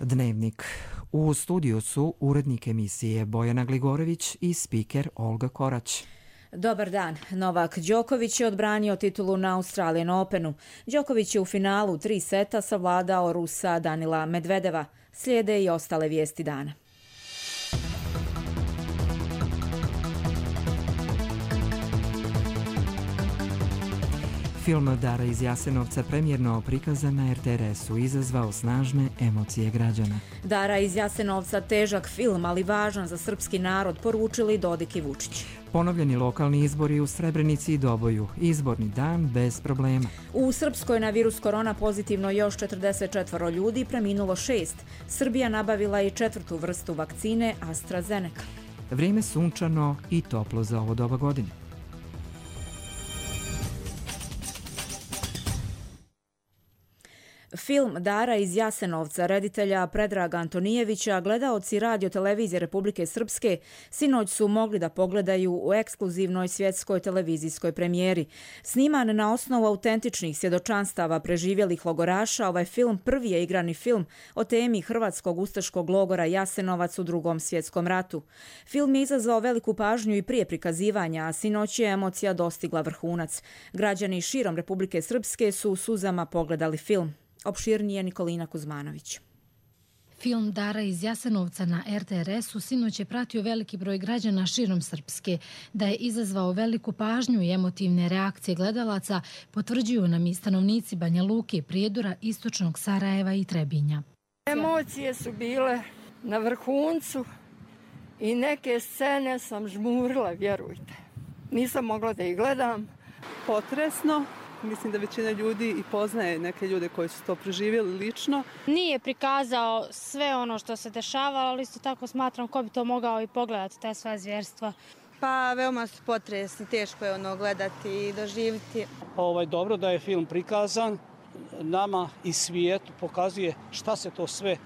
Dnevnik. U studiju su urednik emisije Bojana Gligorević i spiker Olga Korać. Dobar dan. Novak Đoković je odbranio titulu na Australian Openu. Đoković je u finalu 3 seta savladao Rusa Danila Medvedeva. Slijede i ostale vijesti dana. Film Dara iz Jasenovca premijerno prikazan na RTRS-u izazvao snažne emocije građana. Dara iz Jasenovca težak film, ali važan za srpski narod, poručili Dodik i Vučić. Ponovljeni lokalni izbori u Srebrenici i Doboju. Izborni dan bez problema. U Srpskoj na virus korona pozitivno još 44 ljudi, preminulo 6. Srbija nabavila i 4. vrstu vakcine AstraZeneca. Vrijeme sunčano i toplo za ovo doba godine. Film Dara iz Jasenovca reditelja Predraga Antonijevića gledaoci Radio televizije Republike Srpske sinoć su mogli da pogledaju u ekskluzivnoj svjetskoj televizijskoj premijeri. Sniman na osnovu autentičnih svjedočanstava preživjelih logoraša, ovaj film prvi je igrani film o temi hrvatskog ustaškog logora Jasenovac u Drugom svjetskom ratu. Film je izazvao veliku pažnju i prije prikazivanja, a sinoć je emocija dostigla vrhunac. Građani širom Republike Srpske su u suzama pogledali film. Opširnije Nikolina Kuzmanović. Film Dara iz Jasenovca na RTRS-u sinoć je pratio veliki broj građana širom Srpske. Da je izazvao veliku pažnju i emotivne reakcije gledalaca potvrđuju nam i stanovnici Banja Luke, Prijedora, Istočnog Sarajeva i Trebinja. Emocije su bile na vrhuncu i neke scene sam žmurila, vjerujte. Nisam mogla da ih gledam. Potresno. Mislim da većina ljudi i poznaje neke ljude koji su to preživjeli lično. Nije prikazao sve ono što se dešavalo, ali isto tako smatram ko bi to mogao i pogledati, te sva zvjerstva. Pa veoma su potresni, teško je ono gledati i doživjeti. Dobro da je film prikazan, nama i svijetu pokazuje šta se to sve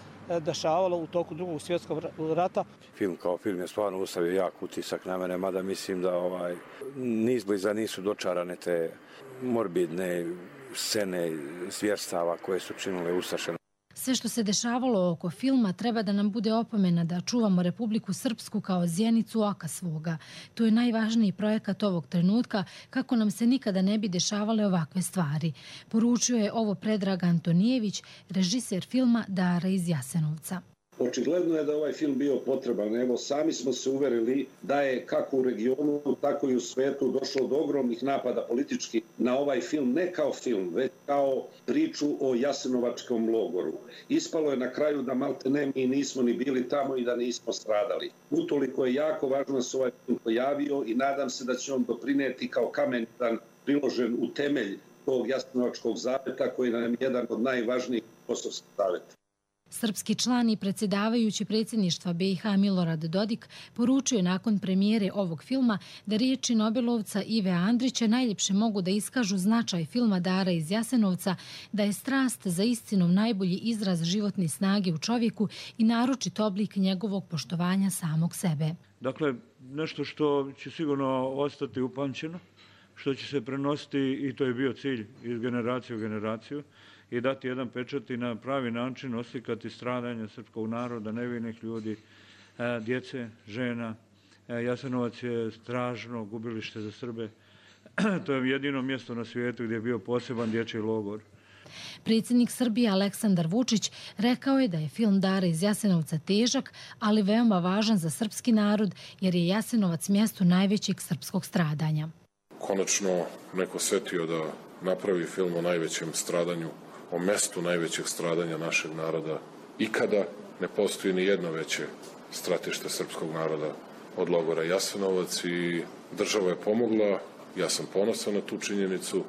dešavalo u toku Drugog svjetskog rata. Film kao film je stvarno ostavio jak utisak na mene, mada mislim da ni izbliza nisu dočarane te morbidne scene zvjerstava koje su činile ustaše. Sve što se dešavalo oko filma treba da nam bude opomena da čuvamo Republiku Srpsku kao zjenicu oka svoga. To je najvažniji projekat ovog trenutka kako nam se nikada ne bi dešavale ovakve stvari. Poručio je ovo Predrag Antonijević, režiser filma Dara iz Jasenovca. Očigledno je da ovaj film bio potreban. Evo, sami smo se uverili da je kako u regionu, tako i u svetu došlo do ogromnih napada politički na ovaj film, ne kao film, već kao priču o Jasenovačkom logoru. Ispalo je na kraju da malte ne mi nismo ni bili tamo i da nismo stradali. Utoliko je jako važno da se ovaj film pojavio i nadam se da će on doprineti kao kamen priložen u temelj tog Jasenovačkog zaveta koji nam je jedan od najvažnijih kosovskih zaveta. Srpski član i predsjedavajući predsjedništva BiH Milorad Dodik poručuje nakon premijere ovog filma da riječi Nobelovca Ive Andrića najljepše mogu da iskažu značaj filma Dara iz Jasenovca, da je strast za istinom najbolji izraz životne snage u čovjeku i naročit oblik njegovog poštovanja samog sebe. Dakle, nešto što će sigurno ostati upamćeno, što će se prenositi i to je bio cilj iz generacije u generaciju, i dati jedan pečat i na pravi način oslikati stradanje srpskog naroda, nevinih ljudi, djece, žena. Jasenovac je strašno gubilište za Srbe. To je jedino mjesto na svijetu gdje je bio poseban dječji logor. Predsjednik Srbije Aleksandar Vučić rekao je da je film Dara iz Jasenovca težak, ali veoma važan za srpski narod jer je Jasenovac mjesto najvećeg srpskog stradanja. Konačno neko setio da napravi film o najvećem stradanju, o mestu najvećeg stradanja našeg naroda. Ikada ne postoji ni jedno veće stratište srpskog naroda od logora Jasenovac i država je pomogla. Ja sam ponosan na tu činjenicu.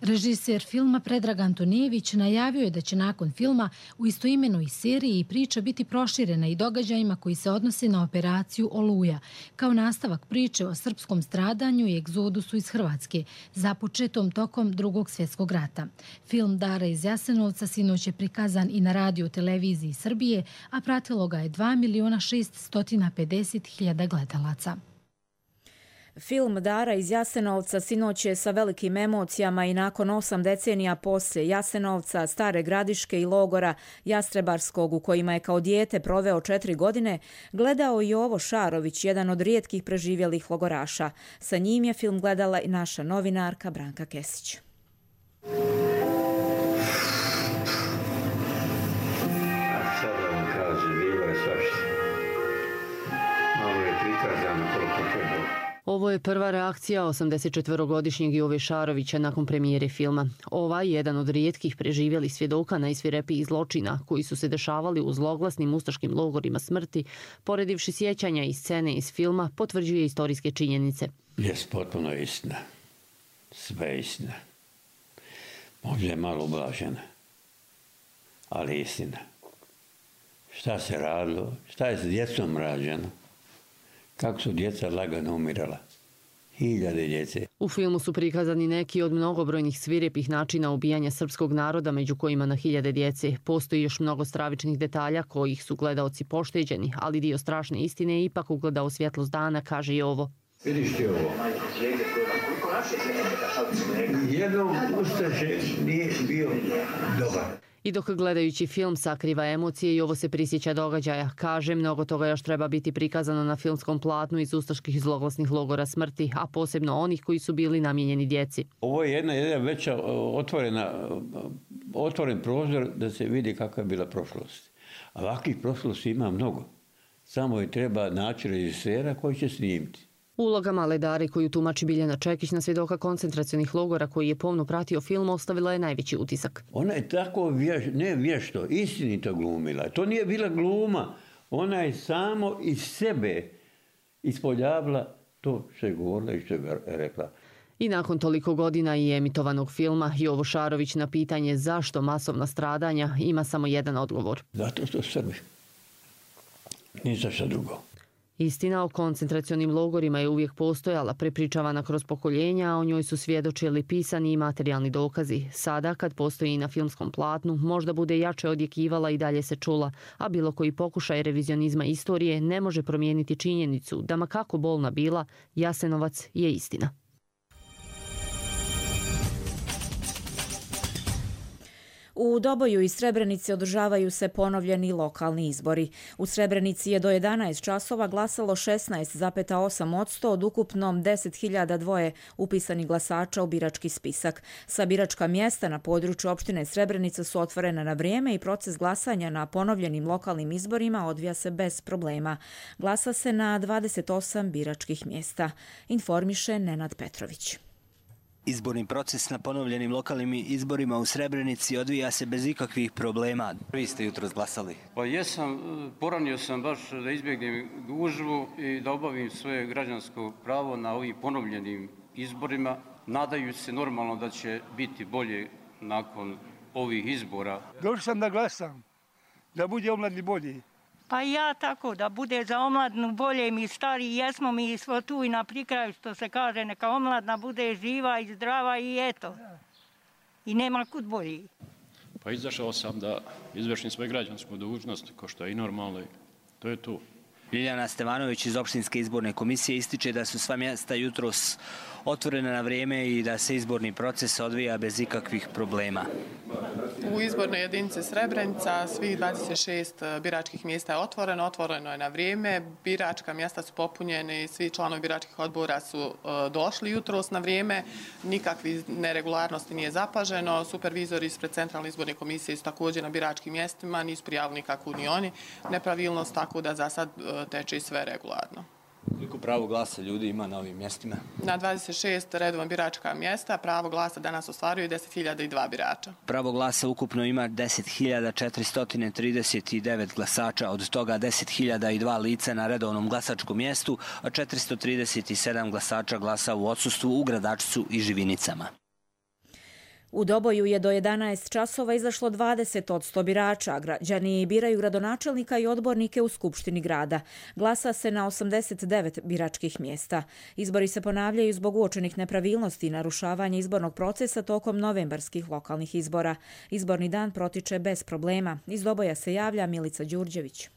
Režiser filma Predrag Antonijević najavio je da će nakon filma u istoimenoj seriji priča biti proširena i događajima koji se odnose na operaciju Oluja, kao nastavak priče o srpskom stradanju i egzodusu iz Hrvatske, započetom tokom Drugog svjetskog rata. Film Dara iz Jasenovca sinoć je prikazan i na Radio televiziji Srbije, a pratilo ga je 2.650.000 gledalaca. Film Dara iz Jasenovca sinoć je sa velikim emocijama i nakon 8 decenija poslije Jasenovca, Stare Gradiške i logora Jastrebarskog u kojima je kao dijete proveo 4 godine, gledao i Jovo Šarović, jedan od rijetkih preživjelih logoraša. Sa njim je film gledala i naša novinarka Branka Kesić. Ovo je prva reakcija 84-godišnjeg Jove Šarovića nakon premijere filma. Ovaj, jedan od rijetkih preživjelih svjedoka najsvirepijih zločina koji su se dešavali u zloglasnim ustaškim logorima smrti, poredivši sjećanja i scene iz filma, potvrđuje istorijske činjenice. Jes, potpuno istina. Sve istina. Možda je malo ublažena, ali istina. Šta se radilo, šta je s djecom rađeno, kako su djeca lagano umirala. Hiljade djece. U filmu su prikazani neki od mnogobrojnih svirepih načina ubijanja srpskog naroda, među kojima na hiljade djece. Postoji još mnogo stravičnih detalja kojih su gledaoci pošteđeni, ali dio strašne istine je ipak ugledao svjetlost dana, kaže i ovo. Vidiš ti ovo? Jednom ustaše nije bio dobar. I dok gledajući film sakriva emocije i ovo se prisjeća događaja, kaže, mnogo toga još treba biti prikazano na filmskom platnu iz ustaških zloglasnih logora smrti, a posebno onih koji su bili namijenjeni djeci. Ovo je jedna veća otvoren prozor da se vidi kakva je bila prošlost. A ovakvih prošlosti ima mnogo. Samo je treba naći režisera koji će snimiti. Uloga male Dare koju tumači Biljana Čekić na svjedoka koncentracionih logora koji je pomno pratio film ostavila je najveći utisak. Ona je tako vješto, istinito glumila. To nije bila gluma. Ona je samo iz sebe ispoljavila to što je govorila i što je rekla. I nakon toliko godina i emitovanog filma, Jovo Šarović na pitanje zašto masovna stradanja ima samo jedan odgovor. Zato što Srbi. Ni za šta drugo. Istina o koncentracionim logorima je uvijek postojala, prepričavana kroz pokoljenja, a o njoj su svjedočili pisani i materijalni dokazi. Sada, kad postoji i na filmskom platnu, možda bude jače odjekivala i dalje se čula, a bilo koji pokušaj revizionizma istorije ne može promijeniti činjenicu da ma kako bolna bila, Jasenovac je istina. U Doboju i Srebrenici održavaju se ponovljeni lokalni izbori. U Srebrenici je do 11 časova glasalo 16,8% od ukupno 10.002 upisanih glasača u birački spisak. Sa biračka mjesta na području opštine Srebrenica su otvorena na vrijeme i proces glasanja na ponovljenim lokalnim izborima odvija se bez problema. Glasa se na 28 biračkih mjesta, informiše Nenad Petrović. Izborni proces na ponovljenim lokalnim izborima u Srebrenici odvija se bez ikakvih problema. Vi ste jutros glasali? Pa jesam, poranio sam baš da izbjegnem gužvu i da obavim svoje građansko pravo na ovim ponovljenim izborima. Nadajući se normalno da će biti bolje nakon ovih izbora. Došao sam da glasam, da bude omladni bolji. Pa ja tako, da bude za omladnu bolje, mi stari jesmo, mi smo tu i na prikraju, što se kaže, neka omladna bude živa i zdrava i eto. I nema kud bolji. Pa izašao sam da izvršim svoju građansku dužnost, ko što je i normalno, to je tu. Ljiljana Stevanović iz Opštinske izborne komisije ističe da su sva mjesta jutros otvorena na vrijeme i da se izborni proces odvija bez ikakvih problema. U izbornoj jedinici Srebrenica svih 26 biračkih mjesta je otvoreno je na vrijeme, biračka mjesta su popunjene, svi članovi biračkih odbora su došli jutros na vrijeme, nikakvi neregularnosti nije zapaženo, supervizori ispred Centralne izborne komisije su također na biračkim mjestima, nisu prijavili nikakvu ni oni nepravilnost, tako da za sad teče sve regularno. Koliko pravo glasa ljudi ima na ovim mjestima? Na 26 redovna biračka mjesta pravo glasa danas ostvaruje 10.002 birača. Pravo glasa ukupno ima 10.439 glasača, od toga 10.002 lica na redovnom glasačkom mjestu, a 437 glasača glasa u odsustvu u Gradačcu i Živinicama. U Doboju je do 11 časova izašlo 20% birača. Građani biraju gradonačelnika i odbornike u Skupštini grada. Glasa se na 89 biračkih mjesta. Izbori se ponavljaju zbog uočenih nepravilnosti i narušavanja izbornog procesa tokom novembarskih lokalnih izbora. Izborni dan protiče bez problema. Iz Doboja se javlja Milica Đurđević.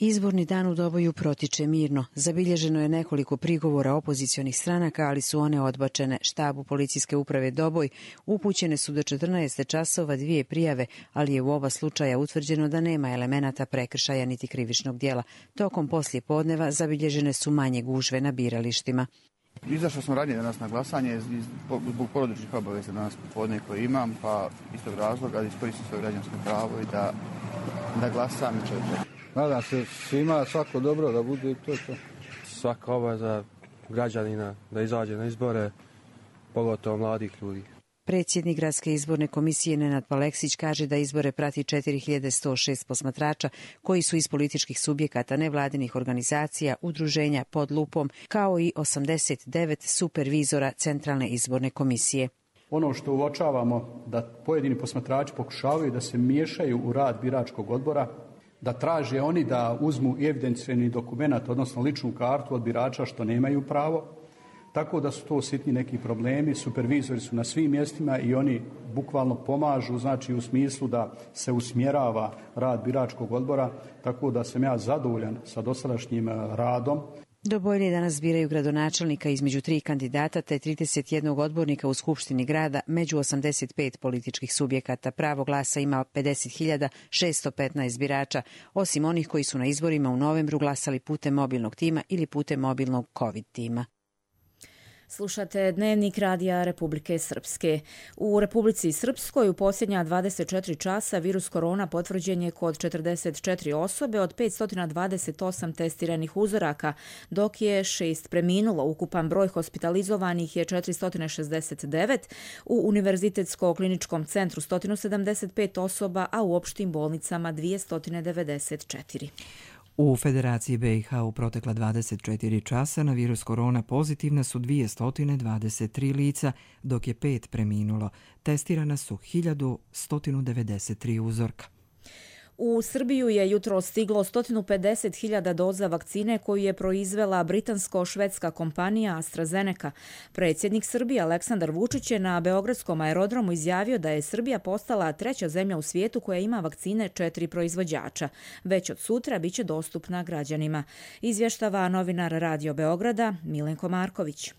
Izborni dan u Doboju protiče mirno. Zabilježeno je nekoliko prigovora opozicionih stranaka, ali su one odbačene. Štabu policijske uprave Doboj upućene su do 14 časova 2 prijave, ali je u oba slučaja utvrđeno da nema elemenata prekršaja niti krivičnog djela. Tokom poslije podneva zabilježene su manje gužve na biralištima. Izašao sam ranije danas na glasanje zbog porodičnih obaveza danas popodne koje imam, pa iz tog razloga da iskoristim svoje građansko pravo i da glasam i čovjek. Nadam se svima svako dobro da bude to. Svaka obaveza građanina da izađe na izbore, pogotovo mladih ljudi. Predsjednik Gradske izborne komisije Nenad Paleksić kaže da izbore prati 4106 posmatrača koji su iz političkih subjekata, nevladinih organizacija, udruženja pod lupom, kao i 89 supervizora Centralne izborne komisije. Ono što uočavamo da pojedini posmatrači pokušavaju da se miješaju u rad biračkog odbora, da traže oni da uzmu evidencijni dokument, odnosno ličnu kartu od birača što nemaju pravo, tako da su to sitni neki problemi. Supervizori su na svim mjestima i oni bukvalno pomažu, znači u smislu da se usmjerava rad biračkog odbora, tako da sam ja zadovoljan sa dosadašnjim radom. Dobojni danas biraju gradonačelnika između 3 kandidata te 31 odbornika u Skupštini grada među 85 političkih subjekata. Pravo glasa ima 50.615 birača, osim onih koji su na izborima u novembru glasali putem mobilnog tima ili putem mobilnog COVID tima. Slušate Dnevnik Radija Republike Srpske. U Republici Srpskoj u posljednja 24 časa virus korona potvrđen je kod 44 osobe od 528 testiranih uzoraka, dok je 6 preminulo. Ukupan broj hospitalizovanih je 469, u Univerzitetsko-kliničkom centru 175 osoba, a u opštim bolnicama 294. U Federaciji BiH u protekla 24 časa na virus korona pozitivna su 223 lica, dok je 5 preminulo. Testirana su 1193 uzorka. U Srbiju je jutro stiglo 150.000 doza vakcine koju je proizvela britansko-švedska kompanija AstraZeneca. Predsjednik Srbije Aleksandar Vučić je na Beogradskom aerodromu izjavio da je Srbija postala 3. zemlja u svijetu koja ima vakcine 4 proizvođača. Već od sutra biće dostupna građanima. Izvještava novinar Radio Beograda Milenko Marković.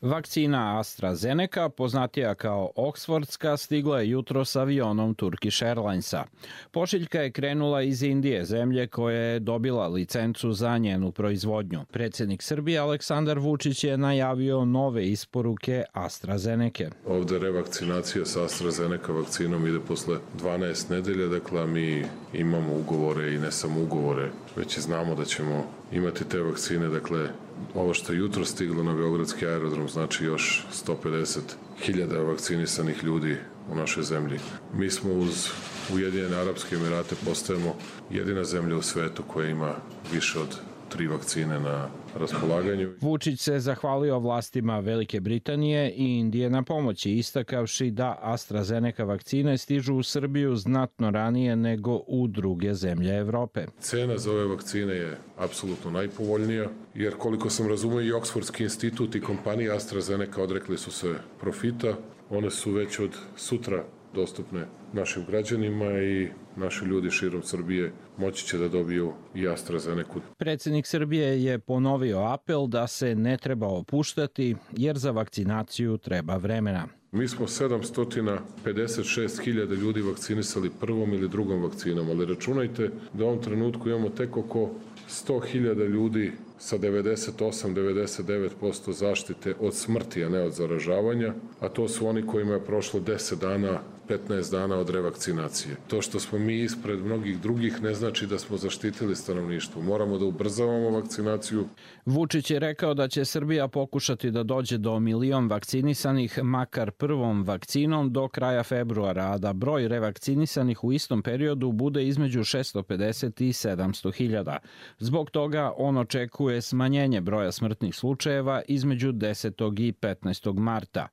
Vakcina AstraZeneca, poznatija kao Oxfordska, stigla je jutro s avionom Turkish Airlinesa. Pošiljka je krenula iz Indije, zemlje koja je dobila licencu za njenu proizvodnju. Predsjednik Srbije Aleksandar Vučić je najavio nove isporuke AstraZeneca. Ovdje revakcinacija s AstraZeneca vakcinom ide posle 12 nedelja, dakle mi imamo ugovore i ne samo ugovore, već i znamo da ćemo imati te vakcine, dakle ovo što je jutro stiglo na Beogradski aerodrom znači još 150.000 vakcinisanih ljudi u našoj zemlji. Mi smo uz Ujedinjene Arapske Emirate postajemo jedina zemlja u svetu koja ima više od 3 vakcine na raspolaganju. Vučić se zahvalio vlastima Velike Britanije i Indije na pomoći, istakavši da AstraZeneca vakcine stižu u Srbiju znatno ranije nego u druge zemlje Evrope. Cena za ove vakcine je apsolutno najpovoljnija, jer koliko sam razumio i Oxfordski institut i kompanija AstraZeneca odrekli su se profita. One su već od sutra dostupne našim građanima i naši ljudi širom Srbije moći će da dobiju i AstraZeneca. Predsjednik Srbije je ponovio apel da se ne treba opuštati jer za vakcinaciju treba vremena. Mi smo 756.000 ljudi vakcinisali prvom ili drugom vakcinom, ali računajte da u ovom trenutku imamo tek oko 100.000 ljudi sa 98-99% zaštite od smrti, a ne od zaražavanja, a to su oni kojima je prošlo 10 dana, 15 dana od revakcinacije. To što smo mi ispred mnogih drugih ne znači da smo zaštitili stanovništvo. Moramo da ubrzavamo vakcinaciju. Vučić je rekao da će Srbija pokušati da dođe do 1 milion vakcinisanih makar prvom vakcinom do kraja februara, a da broj revakcinisanih u istom periodu bude između 650 i 700.000. Zbog toga on očekuje smanjenje broja smrtnih slučajeva između 10. i 15. marta.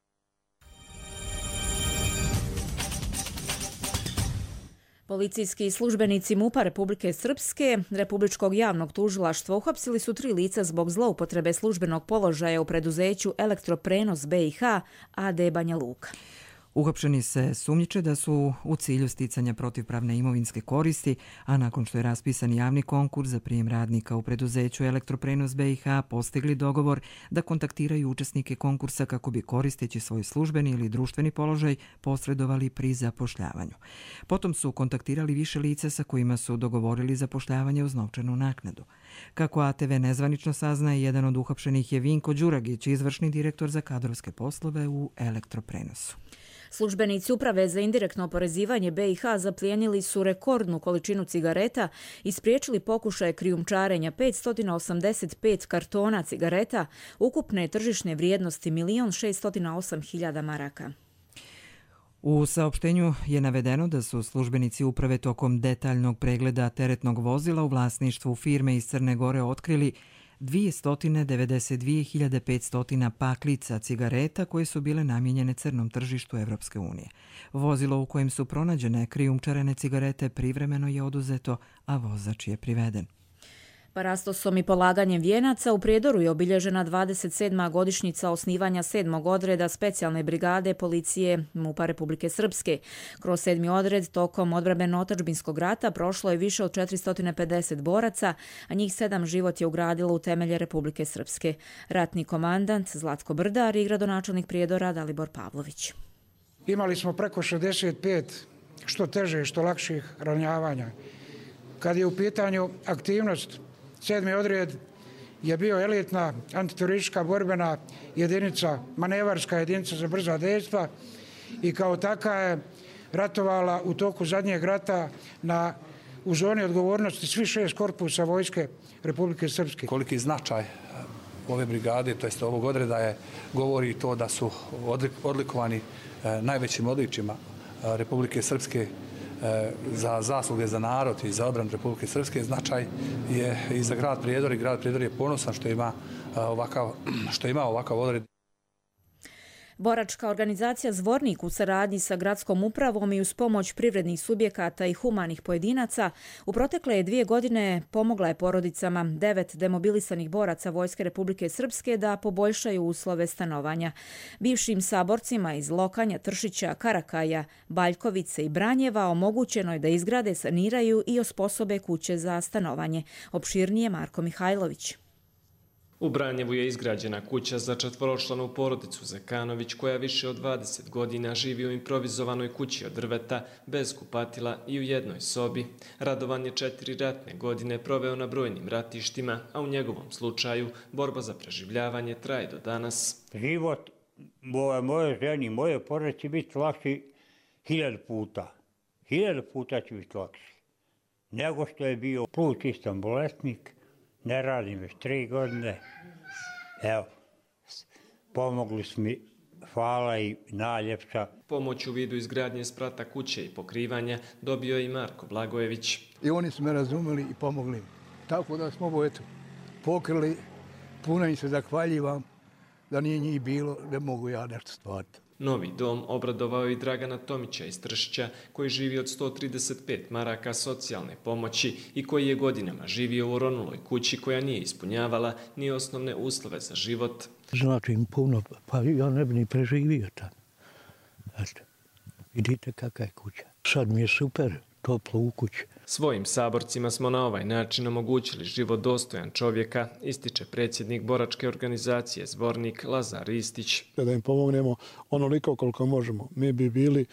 Policijski službenici MUP-a Republike Srpske, Republičkog javnog tužilaštva, uhapsili su 3 lica zbog zloupotrebe službenog položaja u preduzeću Elektroprenos BiH, AD Banja Luka. Uhapšeni se sumnjiče da su u cilju sticanja protivpravne imovinske koristi, a nakon što je raspisan javni konkurs za prijem radnika u preduzeću Elektroprenos BiH postigli dogovor da kontaktiraju učesnike konkursa kako bi koristeći svoj službeni ili društveni položaj posredovali pri zapošljavanju. Potom su kontaktirali više lica sa kojima su dogovorili zapošljavanje uz novčanu naknadu. Kako ATV nezvanično saznaje, jedan od uhapšenih je Vinko Đuragić, izvršni direktor za kadrovske poslove u Elektroprenosu. Službenici Uprave za indirektno oporezivanje BiH zaplijenili su rekordnu količinu cigareta i spriječili pokušaje krijumčarenja 585 kartona cigareta ukupne tržišne vrijednosti 1.608.000 maraka. U saopštenju je navedeno da su službenici uprave tokom detaljnog pregleda teretnog vozila u vlasništvu firme iz Crne Gore otkrili 292.500 paklica cigareta koje su bile namijenjene crnom tržištu Evropske unije. Vozilo u kojem su pronađene krijumčarene cigarete privremeno je oduzeto, a vozač je priveden. Parastosom i polaganjem vijenaca u Prijedoru je obilježena 27. godišnjica osnivanja 7. odreda specijalne brigade policije MUP-a Republike Srpske. Kroz 7. odred tokom odbrambeno-otadžbinskog rata prošlo je više od 450 boraca, a njih 7 život je ugradilo u temelje Republike Srpske. Ratni komandant Zlatko Brdar i gradonačelnik Prijedora Dalibor Pavlović. Imali smo preko 65 što teže, što lakših ranjavanja. Kad je u pitanju aktivnost, 7. odred je bio elitna antiteroristička borbena jedinica, manevarska jedinica za brza dejstva i kao taka je ratovala u toku zadnjeg rata u zoni odgovornosti svih 6 korpusa vojske Republike Srpske. Koliki značaj ove brigade, to jest ovog odreda govori to da su odlikovani najvećim odličjima Republike Srpske za zasluge za narod i za odbranu Republike Srpske. Značaj je i za grad Prijedor i grad Prijedor je ponosan što ima ovakav odred. Boračka organizacija Zvornik u saradnji sa gradskom upravom i uz pomoć privrednih subjekata i humanih pojedinaca u protekle 2 godine pomogla je porodicama 9 demobilisanih boraca Vojske Republike Srpske da poboljšaju uslove stanovanja. Bivšim saborcima iz Lokanja, Tršića, Karakaja, Baljkovice i Branjeva omogućeno je da izgrade, saniraju i osposobe kuće za stanovanje. Opširnije Marko Mihajlović. U Branjevu je izgrađena kuća za 4-članu porodicu Zekanović koja više od 20 godina živi u improvizovanoj kući od drveta, bez kupatila i u jednoj sobi. Radovan je 4 ratne godine proveo na brojnim ratištima, a u njegovom slučaju borba za preživljavanje traje do danas. Život moje ženi, moje porodice će biti lakši 1000 puta. 1000 puta će biti lakši. Nego što je bio plućistan bolesnik. Ne radim već 3 godine. Evo, pomogli su mi, hvala i najljepša. Pomoć u vidu izgradnje sprata kuće i pokrivanja dobio je i Marko Blagojević. I oni su me razumeli i pomogli. Tako da smo ovo pokrili, puno im se zahvaljivam, da nije njih bilo, ne mogu ja nešto stvariti. Novi dom obradovao i Dragana Tomića iz Tršića, koji živi od 135 maraka socijalne pomoći i koji je godinama živio u oronuloj kući koja nije ispunjavala ni osnovne uslove za život. Znači im puno, pa ja ne bi ni preživio tamo. Eto, vidite kakva je kuća. Sad mi je super, toplo u kući. Svojim saborcima smo na ovaj način omogućili život dostojan čovjeka, ističe predsjednik boračke organizacije Zvornik Lazar Ristić. Da im pomognemo onoliko koliko možemo. Mi bi bili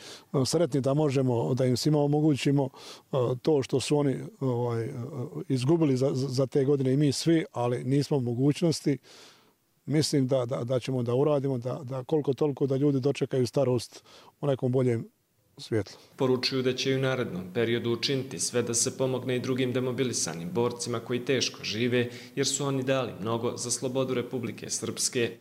sretni da možemo, da im svima omogućimo to što su oni izgubili za te godine i mi svi, ali nismo u mogućnosti. Mislim da ćemo da uradimo, da koliko toliko da ljudi dočekaju starost u nekom boljem svjetlo. Poručuju da će i u narednom periodu učiniti sve da se pomogne i drugim demobilisanim borcima koji teško žive, jer su oni dali mnogo za slobodu Republike Srpske.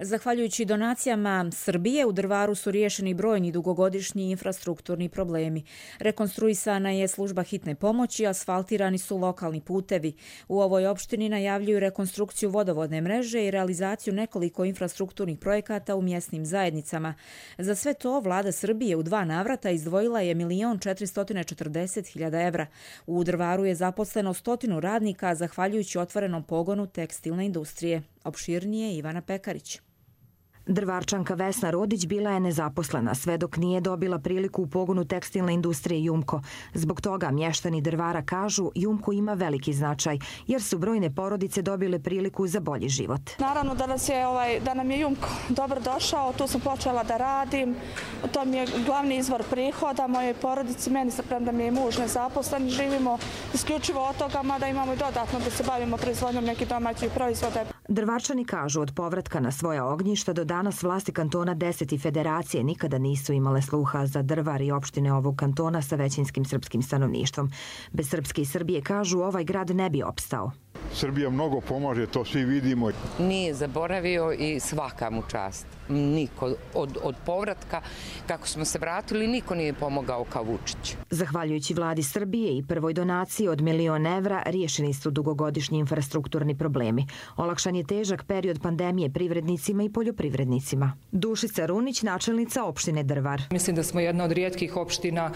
Zahvaljujući donacijama Srbije, u Drvaru su riješeni brojni dugogodišnji infrastrukturni problemi. Rekonstruisana je služba hitne pomoći, asfaltirani su lokalni putevi. U ovoj opštini najavljuju rekonstrukciju vodovodne mreže i realizaciju nekoliko infrastrukturnih projekata u mjesnim zajednicama. Za sve to vlada Srbije u 2 navrata izdvojila je 1.440.000 evra. U Drvaru je zaposleno 100 radnika zahvaljujući otvorenom pogonu tekstilne industrije. Opširnije Ivana Pekarić. Drvarčanka Vesna Rodić bila je nezaposlena sve dok nije dobila priliku u pogonu tekstilne industrije Jumko. Zbog toga mještani Drvara kažu Jumko ima veliki značaj jer su brojne porodice dobile priliku za bolji život. Naravno da nam je Jumko dobro došao, tu sam počela da radim, to mi je glavni izvor prihoda moje porodici, meni se premda mi je muž nezaposlen, živimo isključivo od toga, mada imamo i dodatno da se bavimo proizvodnjom nekih domaćih proizvoda. Drvarčani kažu od povratka na svoja ognjišta do danas vlasti kantona 10 i federacije nikada nisu imale sluha za Drvar i opštine ovog kantona sa većinskim srpskim stanovništvom. Bez Srpske i Srbije, kažu, ovaj grad ne bi opstao. Srbija mnogo pomaže, to svi vidimo. Nije zaboravio i svaka mu čast. Niko od povratka, kako smo se vratili, niko nije pomogao kao Vučić. Zahvaljujući vladi Srbije i prvoj donaciji od 1 milion evra, riješeni su dugogodišnji infrastrukturni problemi. Olakšan je težak period pandemije privrednicima i poljoprivrednicima. Dušica Runić, načelnica opštine Drvar. Mislim da smo jedna od rijetkih opština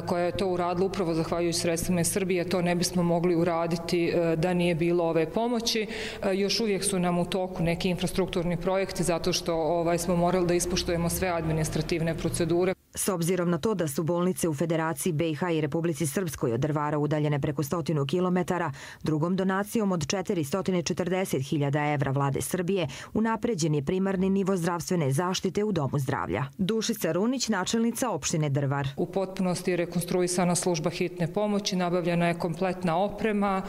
koja je to uradila upravo zahvaljujući sredstvima Srbije. To ne bismo mogli uraditi da nije bilo ove pomoći. Još uvijek su nam u toku neki infrastrukturni projekti zato što smo morali da ispoštujemo sve administrativne procedure. S obzirom na to da su bolnice u Federaciji BiH i Republici Srpskoj od Drvara udaljene preko 100 kilometara, drugom donacijom od 440.000 evra vlade Srbije unapređen je primarni nivo zdravstvene zaštite u Domu zdravlja. Dušica Runić, načelnica opštine Drvar. U potpunosti je rekonstruisana služba hitne pomoći, nabavljena je kompletna oprema,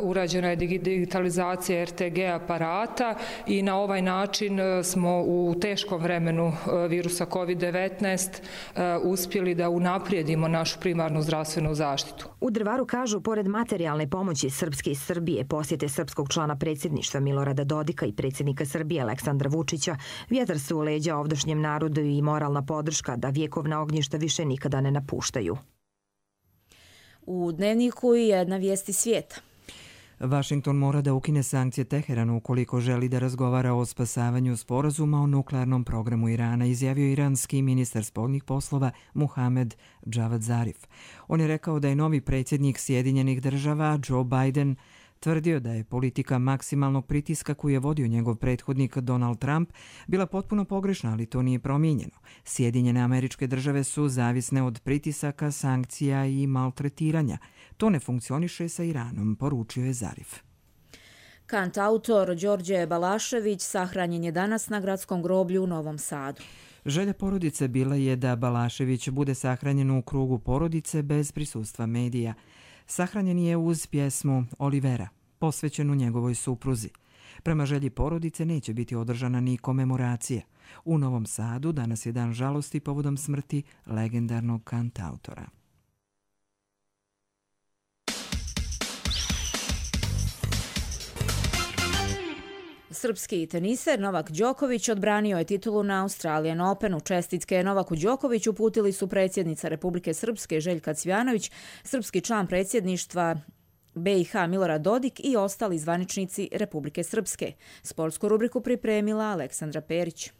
urađena je digitalizacija RTG aparata i na ovaj način smo u teškom vremenu virusa COVID-19 uspjeli da unaprijedimo našu primarnu zdravstvenu zaštitu. U Drvaru, kažu, pored materijalne pomoći Srpske i Srbije, posjete srpskog člana predsjedništva Milorada Dodika i predsjednika Srbije Aleksandra Vučića, vjetar su u leđa ovdašnjem narodu i moralna podrška da vjekovna ognjišta više nikada ne napuštaju. U Dnevniku i jedna vijesti svijeta. Washington mora da ukine sankcije Teheranu ukoliko želi da razgovara o spasavanju sporazuma o nuklearnom programu Irana, izjavio iranski ministar spoljnih poslova Muhamed Javad Zarif. On je rekao da je novi predsjednik Sjedinjenih država Joe Biden tvrdio da je politika maksimalnog pritiska koju je vodio njegov prethodnik Donald Trump bila potpuno pogrešna, ali to nije promijenjeno. Sjedinjene Američke Države su zavisne od pritisaka, sankcija i maltretiranja. To ne funkcioniše sa Iranom, poručio je Zarif. Kantautor Đorđe Balašević sahranjen je danas na gradskom groblju u Novom Sadu. Želja porodice bila je da Balašević bude sahranjen u krugu porodice bez prisustva medija. Sahranjen je uz pjesmu Olivera, posvećenu njegovoj supruzi. Prema želji porodice neće biti održana ni komemoracija. U Novom Sadu danas je dan žalosti povodom smrti legendarnog kantautora. Srpski teniser Novak Đoković odbranio je titulu na Australian Openu. Čestitke Novaku Đokoviću uputili su predsjednica Republike Srpske Željka Cvjanović, srpski član predsjedništva BiH Milorad Dodik i ostali zvaničnici Republike Srpske. Sportsku rubriku pripremila Aleksandra Perić.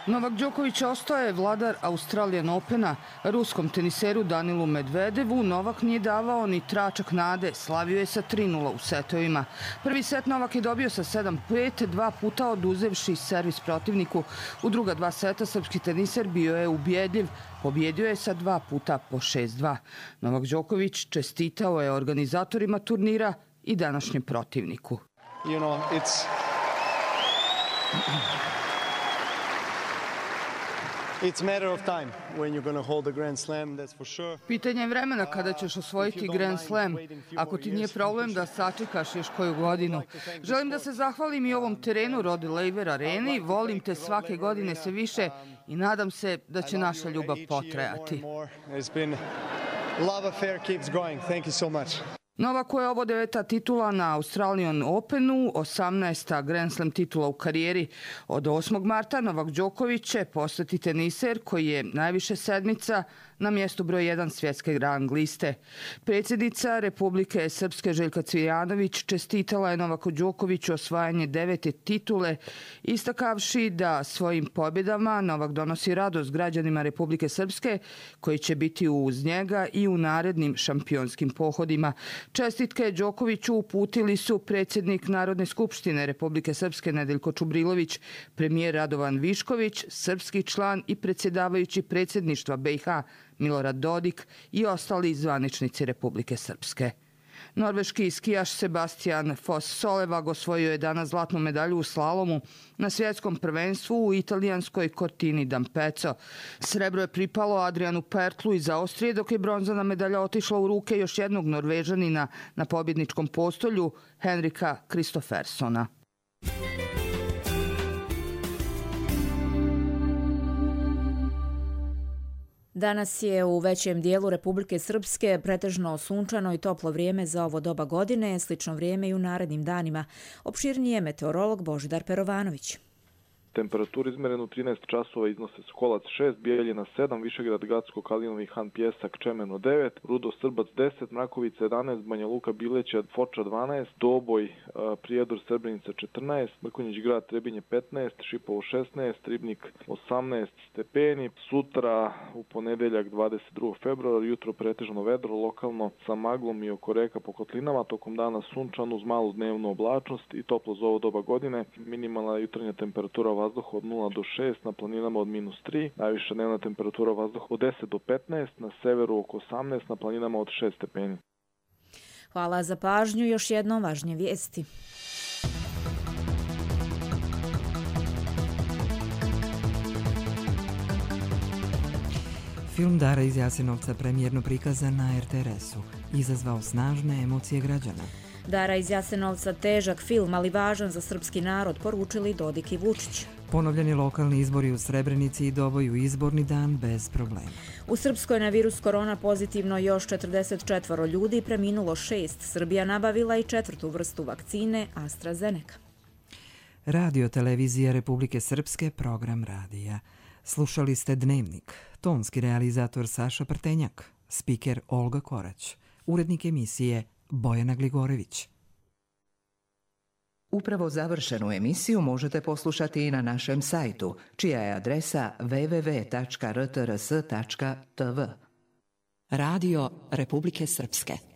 Novak Đoković ostaje vladar Australian Opena. Ruskom teniseru Danilu Medvedevu Novak nije davao ni tračak nade. Slavio je sa 3:0 u setovima. Prvi set Novak je dobio sa 7:5, 2 puta oduzevši servis protivniku. U druga 2 seta srpski teniser bio je ubjedljiv. Pobjedio je sa 2 puta po 6:2. Novak Đoković čestitao je organizatorima turnira i današnjem protivniku. Pitanje je vremena kada ćeš osvojiti Grand Slam. Ako ti nije problem da sačekaš još koju godinu. Želim da se zahvalim i ovom terenu Rod Laver Areni. Volim te svake godine sve više i nadam se da će naša ljubav potrajati. Novaku je ovo 9. titula na Australian Openu, 18. Grand Slam titula u karijeri. Od 8. marta Novak Đoković će postati teniser koji je najviše sedmica na mjestu broj 1 svjetske rang liste. Predsjednica Republike Srpske Željka Cvijanović čestitala je Novaku Đokoviću osvajanje 9. titule, istakavši da svojim pobjedama Novak donosi radost građanima Republike Srpske koji će biti uz njega i u narednim šampionskim pohodima. Čestitke Đokoviću uputili su predsjednik Narodne skupštine Republike Srpske Nedeljko Čubrilović, premijer Radovan Višković, srpski član i predsjedavajući predsjedništva BiH Milorad Dodik i ostali zvaničnici Republike Srpske. Norveški skijaš Sebastian Foss-Solevag osvojio je danas zlatnu medalju u slalomu na svjetskom prvenstvu u italijanskoj Cortini d'Ampezzo. Srebro je pripalo Adrianu Pertlu iz Austrije, dok je bronzana medalja otišla u ruke još jednog Norvežanina na pobjedničkom postolju, Henrika Kristoffersona. Danas je u većem dijelu Republike Srpske pretežno sunčano i toplo vrijeme za ovo doba godine, slično vrijeme i u narednim danima. Opširnije meteorolog Božidar Perovanović. Temperaturu izmerenu 13 časova iznose Skolac 6, Bijeljina 7, Višegrad, Gacko, Kalinovi Han, Pjesak, Čemeno 9, Rudo, Srbac 10, Mrakovica 11, Banja Luka, Bileća, Foča 12, Doboj, Prijedor, Srebrenica 14, Mrkonjić Grad, Trebinje 15, Šipovo 16, Ribnik 18 stepeni. Sutra u ponedeljak 22. februar, jutro pretežno vedro, lokalno sa maglom i oko reka po kotlinama, tokom dana sunčan uz malu dnevnu oblačnost i toplo za ovo doba godine. Minimalna jutarnja temperatura vazduha od 0 do 6, na planinama od -3, najviša dnevna temperatura vazduha od 10 do 15, na severu oko 18, na planinama od 6 stepeni. Hvala za pažnju, još jednom važnije vijesti. Film Dara iz Jasenovca premijerno prikazan na RTRS-u izazvao snažne emocije građana. Dara iz Jasenovca težak film, ali važan za srpski narod, poručili Dodik i Vučić. Ponovljeni lokalni izbori u Srebrenici i Doboju izborni dan bez problema. U Srpskoj na virus korona pozitivno još 44 ljudi, preminulo 6. Srbija nabavila i 4. vrstu vakcine AstraZeneca. Radio televizija Republike Srpske, program radija. Slušali ste Dnevnik, tonski realizator Saša Prtenjak, spiker Olga Korać, urednik emisije Bojana Gligorević. Upravo završenu emisiju možete poslušati i na našem sajtu, čija je adresa www.rtrs.tv. Radio Republike Srpske.